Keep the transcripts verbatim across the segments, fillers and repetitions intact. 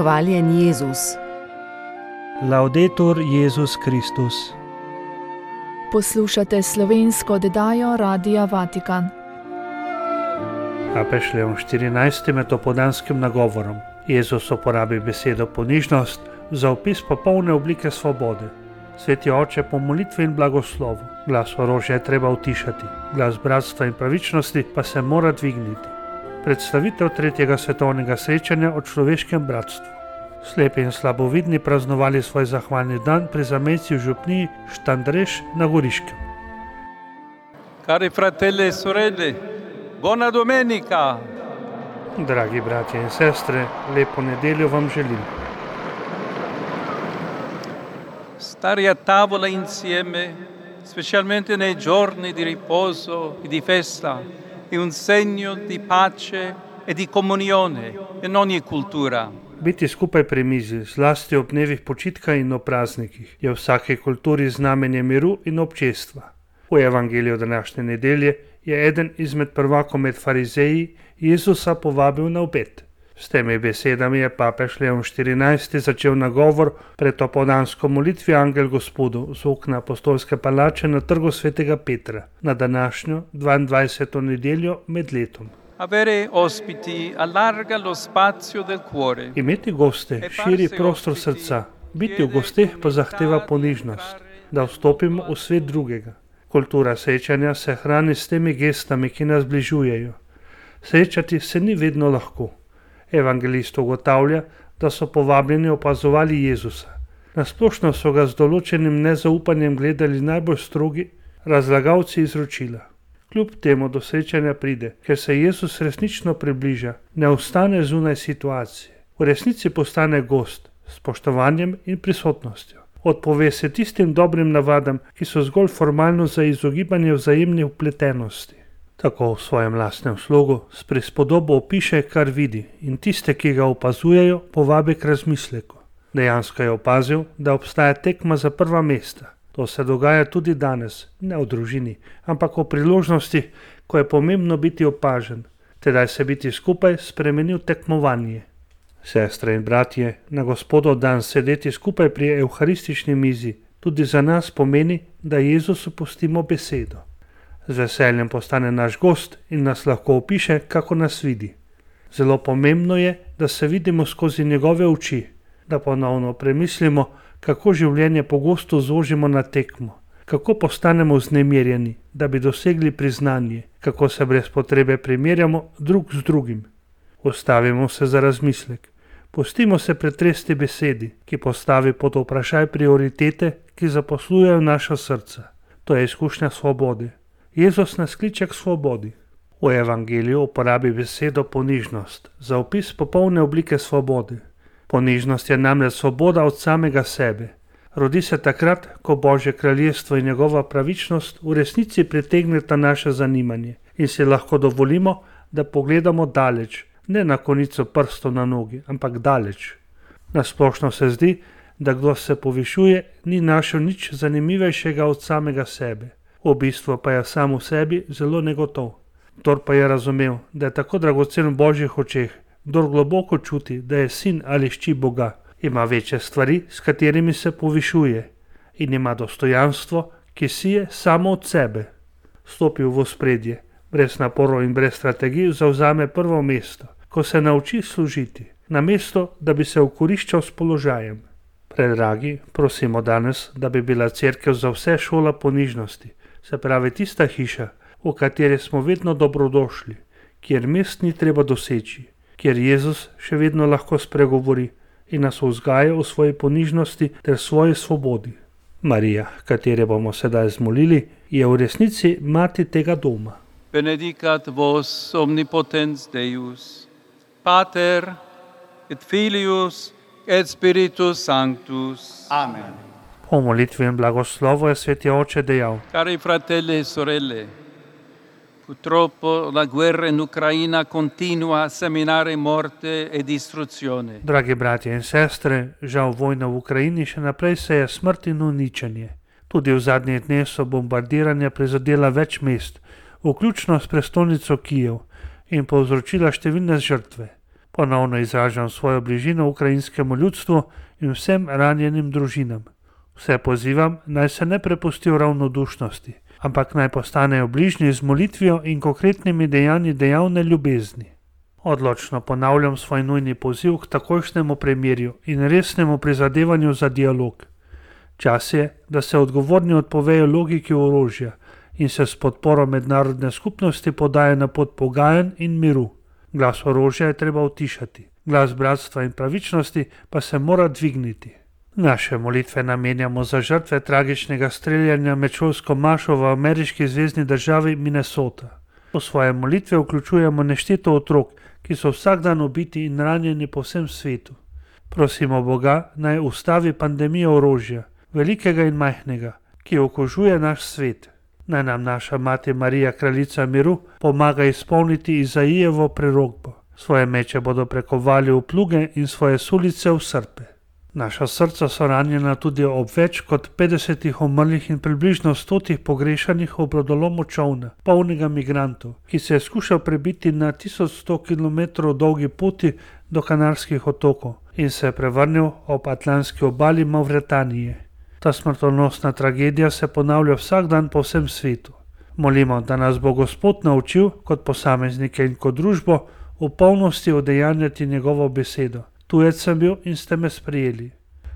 Hvaljen Jezus. Laudetur Jezus Kristus. Poslušate slovensko oddajo Radia Vatikan. Papež Leon štirinajsti med opoldanskim nagovorom Jezus uporabi besedo ponižnost za opis popolne oblike svobode. Sveti oče, po molitvi in blagoslovu, glas orožja je treba utišati, glas bratstva in pravičnosti pa se mora dvigniti. Predstavitev tretjega svetovnega srečanja o človeškem bratstvu. Slepi in slabovidni praznovali svoj zahvalni dan pri zamejci v župniji Štandreš na Goriškem. Cari fratelli e sorelle, buona domenica! Dragi bratje in sestre, lepo nedeljo vam želim. Stare a tavola insieme, specialmente nei giorni di riposo e di festa, è un segno di pace e di comunione in ogni cultura. Biti skupaj pri mizi, zlasti ob dnevih počitka in ob praznikih, je v vsaki kulturi znamenje miru in občestva. V evangeliju današnje nedelje je eden izmed prvakov med farizeji Jezusa povabil na obed. S temi besedami je papež Leon štirinajsti začel nagovor pred opoldansko molitvijo Angel Gospodu z okna apostolske palače na trgu svetega Petra na današnjo dvaindvajseto nedeljo med letom. Avere ospiti allarga lo spazio del cuore. Imeti goste širi prostor srca, biti v gosteh pa zahteva ponižnost, da vstopimo v svet drugega. Kultura srečanja se hrani s temi gestami, ki nas bližujejo. Srečati se ni vedno lahko. Evangelist ugotavlja, da so povabljeni opazovali Jezusa. Nasplošno so ga z določenim nezaupanjem gledali najbolj strogi razlagalci izročila. Kljub temu do srečanja pride, ker se Jezus resnično približa, ne ostane zunaj situacije. V resnici postane gost s spoštovanjem in prisotnostjo. Odpove se tistim dobrim navadam, ki so zgolj formalno za izogibanje vzajemne vpletenosti. Tako v svojem lastnem slogu s prispodobo opiše, kar vidi, in tiste, ki ga opazujejo, povabi k razmisleku. Dejansko je opazil, da obstaja tekma za prva mesta. To se dogaja tudi danes, ne v družini, ampak v priložnosti, ko je pomembno biti opažen. Tedaj se biti skupaj spremeni v tekmovanje. Sestre in bratje, na Gospodov dan sedeti skupaj pri evharistični mizi tudi za nas pomeni, da Jezusu pustimo besedo. Z veseljem postane naš gost in nas lahko opiše, kako nas vidi. Zelo pomembno je, da se vidimo skozi njegove oči, da ponovno premislimo, kako življenje pogosto zožimo na tekmo, kako postanemo vznemirjeni, da bi dosegli priznanje, kako se brez potrebe primerjamo drug z drugim. Ustavimo se za razmislek. Pustimo se pretresti besedi, ki postavi pod vprašaj prioritete, ki zaposlujejo naša srca. To je izkušnja svobode. Jezus nas kliče k svobodi. V evangeliju uporabi besedo ponižnost za opis popolne oblike svobode. Ponižnost je namreč svoboda od samega sebe. Rodi se takrat, ko Božje kraljestvo in njegova pravičnost v resnici pritegneta naše zanimanje in si lahko dovolimo, da pogledamo daleč, ne na konico prstov na nogi, ampak daleč. Nasplošno se zdi, da kdo se povišuje, ni našel nič zanimivejšega od samega sebe. V bistvu pa je sam v sebi zelo negotov. Kdor pa je razumel, da je tako dragocen v Božjih očeh, kdor globoko čuti, da je sin ali hči Boga, ima večje stvari, s katerimi se povišuje, in ima dostojanstvo, ki sije samo od sebe. Stopi v ospredje, brez naporov in brez strategij zavzame prvo mesto, ko se nauči služiti, namesto da bi se okoriščal s položajem. Predragi, prosimo danes, da bi bila cerkev za vse šola ponižnosti, se pravi tista hiša, v kateri smo vedno dobrodošli, kjer mest ni treba doseči, kjer Jezus še vedno lahko spregovori in nas vzgaja v svoji ponižnosti ter svoji svobodi. Marija, katere bomo sedaj zmolili, je v resnici mati tega doma. Benedicat vos omnipotens Deus, Pater et Filius et Spiritus Sanctus. Amen. Po molitvi in blagoslovu je sveti oče dejal: Cari fratelli e sorelle, purtroppo la guerra in Ucraina continua a seminare morte e distruzione. Dragi bratje in sestre, žal vojna v Ukrajini še naprej seje smrt in uničenje. Tudi v zadnjih dneh so bombardiranja prizadela več mest, vključno s prestolnico Kijev, in povzročila številne žrtve. Ponovno izražam svojo bližino ukrajinskemu ljudstvu in vsem ranjenim družinam. Vse pozivam, naj se ne prepustijo ravnodušnosti, ampak naj postanejo bližnji z molitvijo in konkretnimi dejanji dejavne ljubezni. Odločno ponavljam svoj nujni poziv k takojšnjemu premirju in resnemu prizadevanju za dialog. Čas je, da se odgovorni odpovejo logiki orožja in se s podporo mednarodne skupnosti podajo na pot pogajanj in miru. Glas orožja je treba utišati, glas bratstva in pravičnosti pa se mora dvigniti. Naše molitve namenjamo za žrtve tragičnega streljanja med šolsko mašo v ameriški zvezni državi Minnesota. V svoje molitve vključujemo nešteto otrok, ki so vsak dan ubiti in ranjeni po vsem svetu. Prosimo Boga, naj ustavi pandemijo orožja, velikega in majhnega, ki okužuje naš svet. Naj nam naša mati Marija, kraljica miru, pomaga izpolniti Izaijevo prerokbo. Svoje meče bodo prekovali v pluge in svoje sulice v srpe. Naša srca so ranjena tudi ob več kot petdesetih umrlih in približno stotih pogrešanih ob brodolomu čolna, polnega migrantov, ki se je skušal prebiti na tisoč sto kilometrov dolgi poti do Kanarskih otokov in se je prevrnil ob atlantski obali Mavretanije. Ta smrtonosna tragedija se ponavlja vsak dan po vsem svetu. Molimo, da nas bo Gospod naučil kot posameznike in kot družbo v polnosti udejanjati njegovo besedo. Tujec sem bil in ste me sprejeli.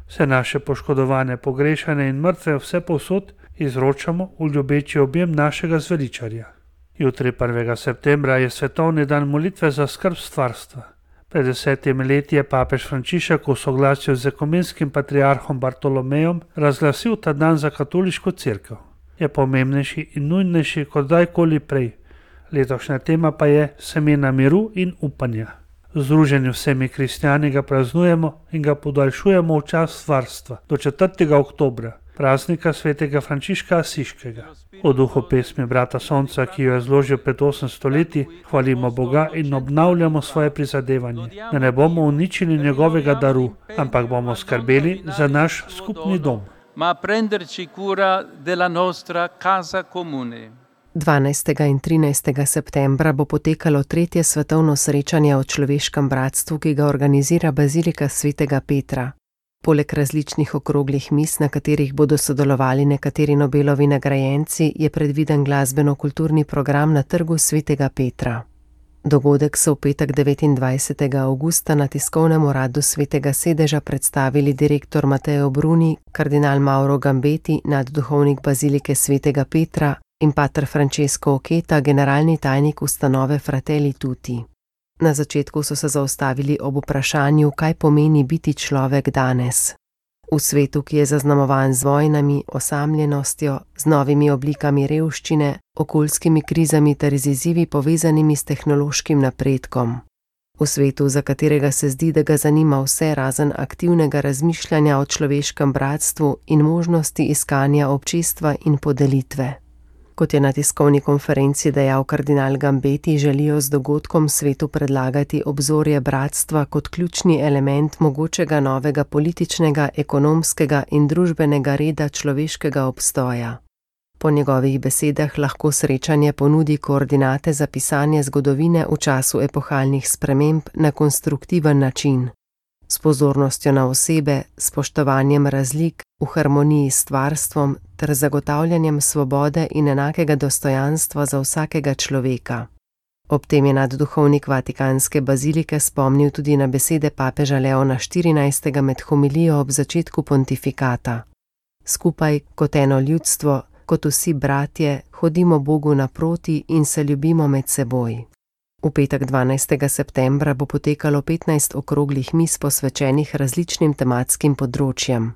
Vse naše poškodovane, pogrešane in mrtve vse povsod izročamo v ljubeči objem našega zveličarja. Jutri prvega septembra je svetovni dan molitve za skrb stvarstva. Pred desetimi leti je papež Frančišek v soglasju z ekumenskim patriarhom Bartolomejem razglasil ta dan za katoliško cerkev. Je pomembnejši in nujnejši kot kdajkoli prej. Letošnja tema pa je semena miru in upanja. Združeni vsemi kristjani ga praznujemo in ga podaljšujemo v čas varstva do četrtega oktobra, praznika svetega Frančiška Asiškega. V duhu pesmi brata Sonca, ki jo je zložil pred osemsto leti, hvalimo Boga in obnavljamo svoje prizadevanje, da ne bomo uničili njegovega daru, ampak bomo skrbeli za naš skupni dom. Ma prenderci cura della nostra casa comune. dvanajstega in trinajstega septembra bo potekalo tretje svetovno srečanje o človeškem bratstvu, ki ga organizira Bazilika svetega Petra. Poleg različnih okroglih miz, na katerih bodo sodelovali nekateri Nobelovi nagrajenci, je predviden glasbeno-kulturni program na trgu svetega Petra. Dogodek so v petek devetindvajsetega avgusta na tiskovnem uradu svetega sedeža predstavili direktor Mateo Bruni, kardinal Mauro Gambeti, nadduhovnik Bazilike svetega Petra, in pater Francesco Oketa, generalni tajnik ustanove Fratelli Tutti. Na začetku so se zaustavili ob vprašanju, kaj pomeni biti človek danes. V svetu, ki je zaznamovan z vojnami, osamljenostjo, z novimi oblikami revščine, okoljskimi krizami ter z izzivi povezanimi s tehnološkim napredkom. V svetu, za katerega se zdi, da ga zanima vse razen aktivnega razmišljanja o človeškem bratstvu in možnosti iskanja občestva in podelitve. Kot je na tiskovni konferenci dejal kardinal Gambeti, želijo z dogodkom svetu predlagati obzorje bratstva kot ključni element mogočega novega političnega, ekonomskega in družbenega reda človeškega obstoja. Po njegovih besedah lahko srečanje ponudi koordinate za pisanje zgodovine v času epohalnih sprememb na konstruktiven način. S pozornostjo na osebe, spoštovanjem razlik, v harmoniji s stvarstvom ter zagotavljanjem svobode in enakega dostojanstva za vsakega človeka. Ob tem je nadduhovnik Vatikanske bazilike spomnil tudi na besede papeža Leona štirinajstega med homilijo ob začetku pontifikata. Skupaj, kot eno ljudstvo, kot vsi bratje, hodimo Bogu naproti in se ljubimo med seboj. V petek dvanajstega septembra bo potekalo petnajst okroglih miz posvečenih različnim tematskim področjem.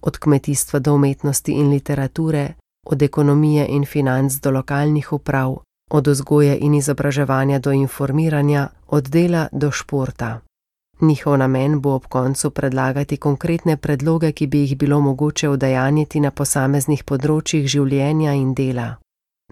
Od kmetijstva do umetnosti in literature, od ekonomije in financ do lokalnih uprav, od vzgoje in izobraževanja do informiranja, od dela do športa. Njihov namen bo ob koncu predlagati konkretne predloge, ki bi jih bilo mogoče udejanjiti na posameznih področjih življenja in dela.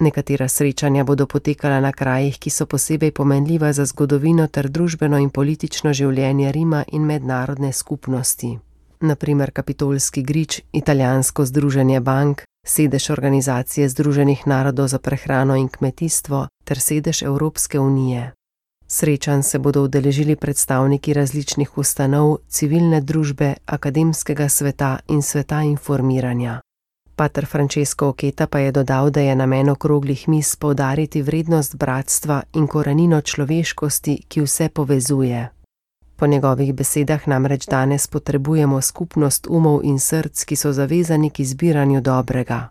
Nekatera srečanja bodo potekala na krajih, ki so posebej pomenljiva za zgodovino ter družbeno in politično življenje Rima in mednarodne skupnosti. Na primer Kapitolski grič, Italijansko združenje bank, sedež Organizacije združenih narodov za prehrano in kmetijstvo ter sedež Evropske unije. Srečanj se bodo udeležili predstavniki različnih ustanov, civilne družbe, akademskega sveta in sveta informiranja. Pater Francesco Oketa pa je dodal, da je namen okroglih miz poudariti vrednost bratstva in korenino človeškosti, ki vse povezuje. Po njegovih besedah namreč danes potrebujemo skupnost umov in src, ki so zavezani k izbiranju dobrega.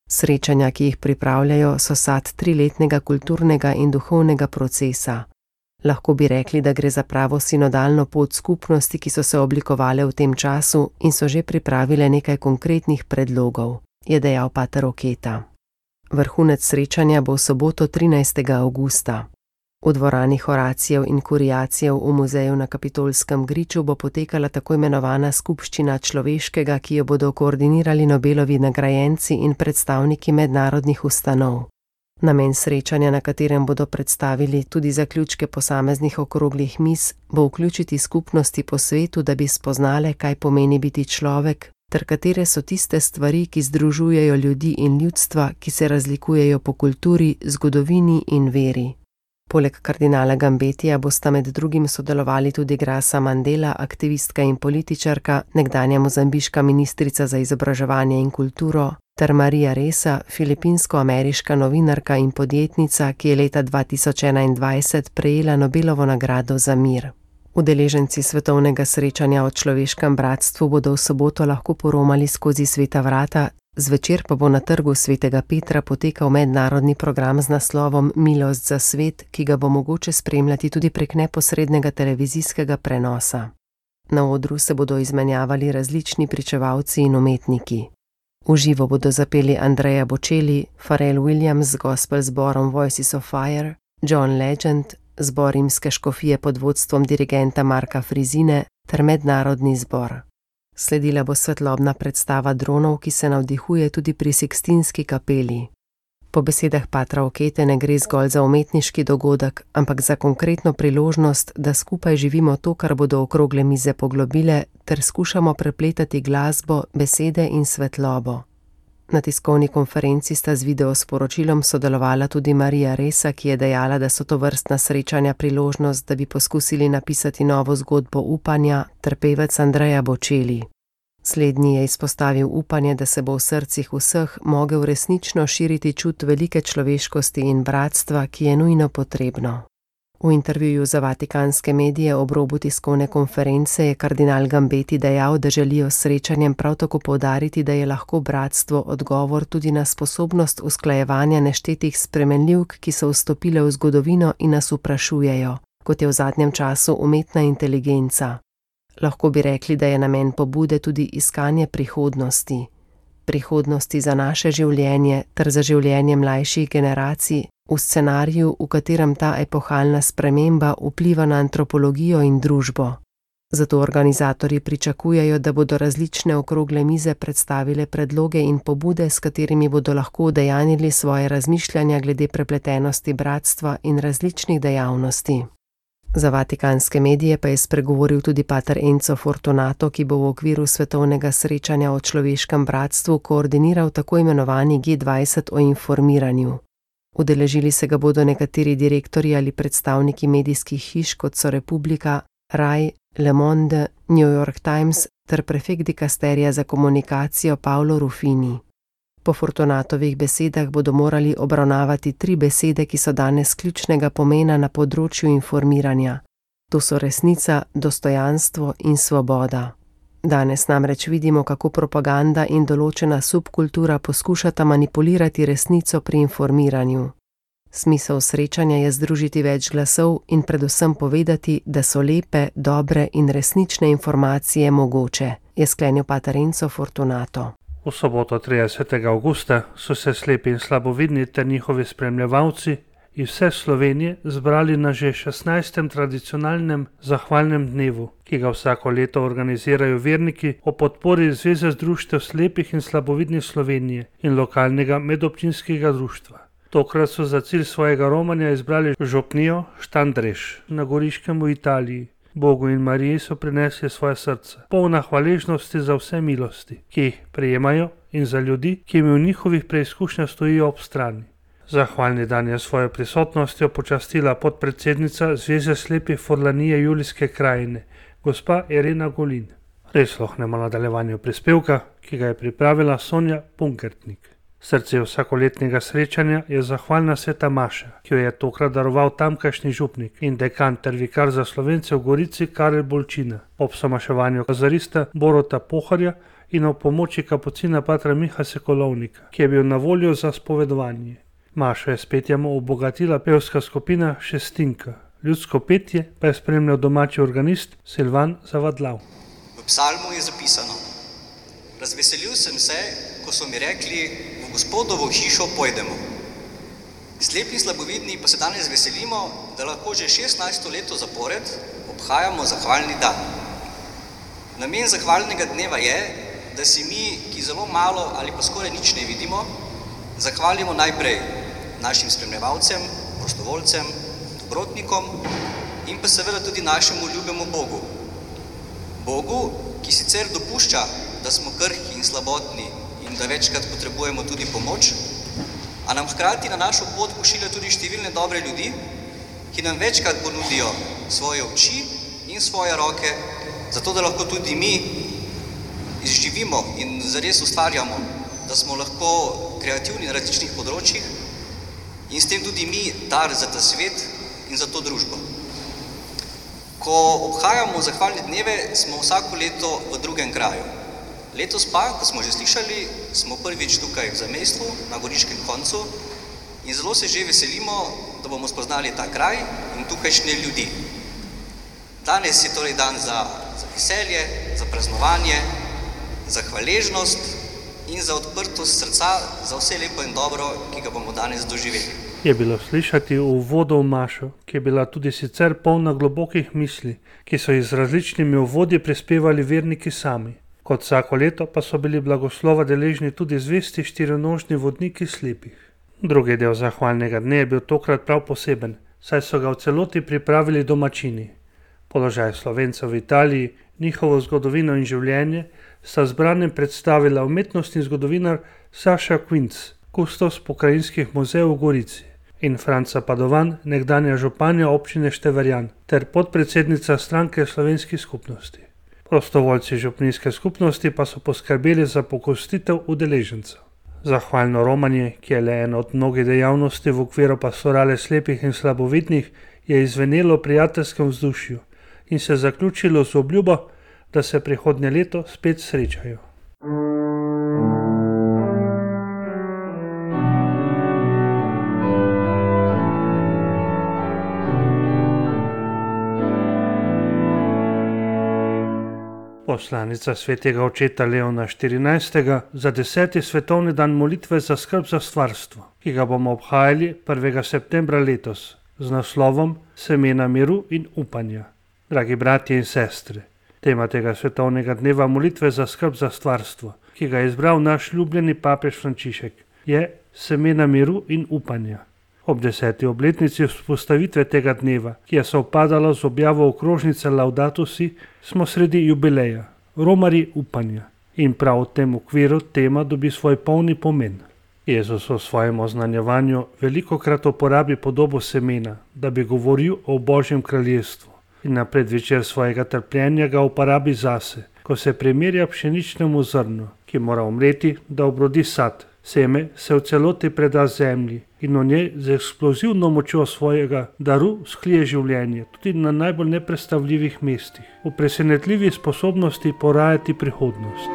Srečanja, ki jih pripravljajo, so sad triletnega kulturnega in duhovnega procesa. Lahko bi rekli, da gre za pravo sinodalno pot skupnosti, ki so se oblikovale v tem času in so že pripravile nekaj konkretnih predlogov, je dejal pater Oketa. Vrhunec srečanja bo v soboto trinajstega avgusta. V dvorani Horacijev in Kuriacijev v muzeju na Kapitolskem griču bo potekala tako imenovana skupščina človeškega, ki jo bodo koordinirali Nobelovi nagrajenci in predstavniki mednarodnih ustanov. Namen srečanja, na katerem bodo predstavili tudi zaključke posameznih okroglih miz, bo vključiti skupnosti po svetu, da bi spoznale, kaj pomeni biti človek, ter katere so tiste stvari, ki združujejo ljudi in ljudstva, ki se razlikujejo po kulturi, zgodovini in veri. Poleg kardinala Gambetija bosta med drugim sodelovali tudi Grasa Mandela, aktivistka in političarka, nekdanja mozambiška ministrica za izobraževanje in kulturo, ter Maria Ressa, filipinsko-ameriška novinarka in podjetnica, ki je leta dva tisoč enaindvajset prejela Nobelovo nagrado za mir. Udeleženci svetovnega srečanja o človeškem bratstvu bodo v soboto lahko poromali skozi sveta vrata, zvečer pa bo na trgu svetega Petra potekal mednarodni program z naslovom Milost za svet, ki ga bo mogoče spremljati tudi prek neposrednega televizijskega prenosa. Na odru se bodo izmenjavali različni pričevalci in umetniki. V živo bodo zapeli Andrea Bocelli, Pharrell Williams z gospel zborom Voices of Fire, John Legend, zbor rimske škofije pod vodstvom dirigenta Marka Frizine ter mednarodni zbor. Sledila bo svetlobna predstava dronov, ki se navdihuje tudi pri Sikstinski kapeli. Po besedah patra Okete ne gre zgolj za umetniški dogodek, ampak za konkretno priložnost, da skupaj živimo to, kar bodo okrogle mize poglobile, ter skušamo prepletati glasbo, besede in svetlobo. Na tiskovni konferenci sta z videosporočilom sodelovala tudi Maria Ressa, ki je dejala, da so to vrstna srečanja priložnost, da bi poskusili napisati novo zgodbo upanja, ter pevec Andrea Bocelli. Slednji je izpostavil upanje, da se bo v srcih vseh mogel resnično širiti čut velike človeškosti in bratstva, ki je nujno potrebno. V intervjuju za vatikanske medije ob robu tiskovne konference je kardinal Gambeti dejal, da želijo s srečanjem prav tako poudariti, da je lahko bratstvo odgovor tudi na sposobnost usklajevanja neštetih spremenljivk, ki so vstopile v zgodovino in nas vprašujejo, kot je v zadnjem času umetna inteligenca. Lahko bi rekli, da je namen pobude tudi iskanje prihodnosti. Prihodnosti za naše življenje ter za življenje mlajših generacij, v scenariju, v katerem ta epohalna sprememba vpliva na antropologijo in družbo. Zato organizatorji pričakujejo, da bodo različne okrogle mize predstavile predloge in pobude, s katerimi bodo lahko udejanili svoje razmišljanja glede prepletenosti bratstva in različnih dejavnosti. Za vatikanske medije pa je spregovoril tudi pater Enzo Fortunato, ki bo v okviru svetovnega srečanja o človeškem bratstvu koordiniral tako imenovani G dvajset o informiranju. Udeležili se ga bodo nekateri direktorji ali predstavniki medijskih hiš, kot so Republika, Rai, Le Monde, New York Times ter prefekt dikasterija za komunikacijo Paolo Ruffini. Po Fortunatovih besedah bodo morali obravnavati tri besede, ki so danes ključnega pomena na področju informiranja. To so resnica, dostojanstvo in svoboda. Danes namreč vidimo, kako propaganda in določena subkultura poskušata manipulirati resnico pri informiranju. Smisel srečanja je združiti več glasov in predvsem povedati, da so lepe, dobre in resnične informacije mogoče, je sklenil pater Enzo Fortunato. V soboto tridesetega avgusta so se slepi in slabovidni ter njihovi spremljevalci iz vse Slovenije zbrali na že šestnajstem tradicionalnem zahvalnem dnevu, ki ga vsako leto organizirajo verniki o podpori Zveze društev slepih in slabovidnih Slovenije in lokalnega medobčinskega društva. Tokrat so za cilj svojega romanja izbrali župnijo Štandreš na Goriškem v Italiji. Bogu in Mariji so prinesli svoje srce, polna hvaležnosti za vse milosti, ki jih prejemajo, in za ljudi, ki jim v njihovih preizkušnjah stojijo ob strani. Zahvalni dan je svojo prisotnostjo počastila podpredsednica Zveze slepih Furlanije Julijske krajine, gospa Irena Golin. Prisluhnemo nadaljevanju prispevka, ki ga je pripravila Sonja Punkertnik. Srce vsakoletnega srečanja je zahvalna sveta maša, ki jo je tokrat daroval tamkajšnji župnik in dekan ter vikar za Slovence v Gorici Karel Bolčina, ob somaševanju kazarista Borota Poharja in ob pomoči kapucina patra Miha Sokolovnika, ki je bil na voljo za spovedovanje. Mašo je s petjem obogatila pevska skupina Šestinka, ljudsko petje pa je spremljal domači organist Silvan Zavadlav. V psalmu je zapisano: razveselil sem se, ko so mi rekli, v Gospodovo hišo pojdemo. Slepi in slabovidni pa se danes veselimo, da lahko že šestnajsto leto zapored obhajamo zahvalni dan. Namen zahvalnega dneva je, da si mi, ki zelo malo ali pa skoraj nič ne vidimo, zahvalimo najprej našim spremljevalcem, prostovoljcem, dobrotnikom in pa seveda tudi našemu ljubemu Bogu. Bogu, ki sicer dopušča, da smo krhki in slabotni in da večkrat potrebujemo tudi pomoč, a nam hkrati na našo pot pošilja tudi številne dobre ljudi, ki nam večkrat ponudijo svoje oči in svoje roke, zato da lahko tudi mi izživimo in zares ustvarjamo, da smo lahko kreativni na različnih področjih in s tem tudi mi dar za ta svet in za to družbo. Ko obhajamo zahvalne dneve, smo vsako leto v drugem kraju. Letos pa, kot smo že slišali, smo prvič tukaj v zamejstvu, na goriškem koncu in zelo se že veselimo, da bomo spoznali ta kraj in tukajšnje ljudi. Danes je torej dan za, za veselje, za praznovanje, za hvaležnost in za odprtost srca za vse lepo in dobro, ki ga bomo danes doživeli. Je bilo slišati uvoda v mašo, ki je bila tudi sicer polna globokih misli, ki so jih z različnimi uvodi prispevali verniki sami. Kot vsako leto pa so bili blagoslova deležni tudi zvesti štirinožni vodniki slepih. Drugi del zahvalnega dne je bil tokrat prav poseben, saj so ga v celoti pripravili domačini. Položaj Slovencev v Italiji, njihovo zgodovino in življenje sta zbranem predstavila umetnostni zgodovinar Saša Kvinc, kustos pokrajinskih muzejev v Gorici, in Franca Padovan, nekdanja županja občine Števerjan, ter podpredsednica stranke slovenskih skupnosti. Prostovoljci župnijske skupnosti pa so poskrbeli za pokostitev udeležencev. Zahvalno romanje, ki je le ena od mnogih dejavnosti v okviru pastorale slepih in slabovidnih, je izvenelo v prijateljskem vzdušju in se zaključilo z obljubo, da se prihodnje leto spet srečajo. Poslanica svetega očeta Leona štirinajstega za deseti svetovni dan molitve za skrb za stvarstvo, ki ga bomo obhajali prvega septembra letos z naslovom Semena miru in upanja. Dragi bratje in sestre, tema tega svetovnega dneva molitve za skrb za stvarstvo, ki ga je izbral naš ljubljeni papež Frančišek, je semena miru in upanja. Ob deseti obletnici vzpostavitve tega dneva, ki je sovpadala z objavo okrožnice Laudato Si, smo sredi jubileja, romarji upanja. In prav v tem okviru tema dobi svoj polni pomen. Jezus v svojem oznanjevanju velikokrat uporabi podobo semena, da bi govoril o Božjem kraljestvu. In na predvečer svojega trpljenja ga uporabi zase, ko se primerja pšeničnemu zrnu, ki mora umreti, da obrodi sad. Seme se v celoti preda zemlji in v njej z eksplozivno močjo svojega daru sklije življenje, tudi na najbolj nepredstavljivih mestih, v presenetljivi sposobnosti porajati prihodnost.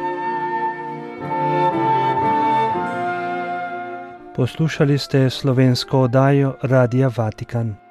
Poslušali ste slovensko oddajo Radia Vatikan.